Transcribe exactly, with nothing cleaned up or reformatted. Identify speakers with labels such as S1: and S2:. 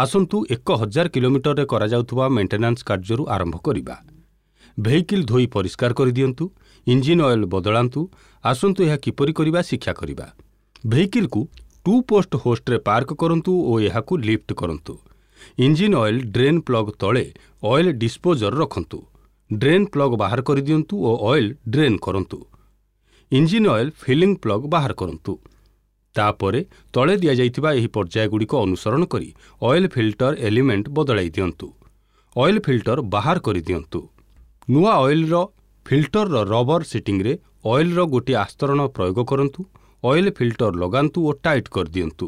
S1: ଆସନ୍ତୁ ଏକ ହଜାର କିଲୋମିଟରରେ କରାଯାଉଥିବା ମେଣ୍ଟେନାନ୍ସ କାର୍ଯ୍ୟରୁ ଆରମ୍ଭ କରିବା। ଭେହିକିଲ୍ ଧୋଇ ପରିଷ୍କାର କରିଦିଅନ୍ତୁ। ଇଞ୍ଜିନ୍ ଅଏଲ୍ ବଦଳାନ୍ତୁ। ଆସନ୍ତୁ ଏହା କିପରି କରିବା ଶିକ୍ଷା କରିବା। ଭେହିକିଲ୍କୁ ଟୁ ପୋଷ୍ଟ ହୋଷ୍ଟରେ ପାର୍କ କରନ୍ତୁ ଓ ଏହାକୁ ଲିଫ୍ଟ କରନ୍ତୁ। ଇଞ୍ଜିନ୍ ଅଏଲ୍ ଡ୍ରେନ୍ ପ୍ଲଗ୍ ତଳେ ଅଏଲ୍ ଡିସ୍ପୋଜର ରଖନ୍ତୁ। ଡ୍ରେନ୍ ପ୍ଲଗ୍ ବାହାର କରିଦିଅନ୍ତୁ ଓ ଅଏଲ୍ ଡ୍ରେନ୍ କରନ୍ତୁ। ଇଞ୍ଜିନ୍ ଅଏଲ୍ ଫିଲିଂ ପ୍ଲଗ୍ ବାହାର କରନ୍ତୁ। ତାପରେ ତଳେ ଦିଆଯାଇଥିବା ଏହି ପର୍ଯ୍ୟାୟଗୁଡ଼ିକ ଅନୁସରଣ କରି ଅଏଲ୍ ଫିଲ୍ଟର ଏଲିମେଣ୍ଟ ବଦଳାଇ ଦିଅନ୍ତୁ। ଅଏଲ୍ ଫିଲ୍ଟର ବାହାର କରିଦିଅନ୍ତୁ। ନୂଆ ଅଏଲ୍ର ଫିଲ୍ଟରର ରବର ସିଟିଂରେ ଅଏଲ୍ର ଗୋଟିଏ ଆସ୍ତରଣ ପ୍ରୟୋଗ କରନ୍ତୁ। ଅଏଲ୍ ଫିଲ୍ଟର ଲଗାନ୍ତୁ ଓ ଟାଇଟ୍ କରିଦିଅନ୍ତୁ।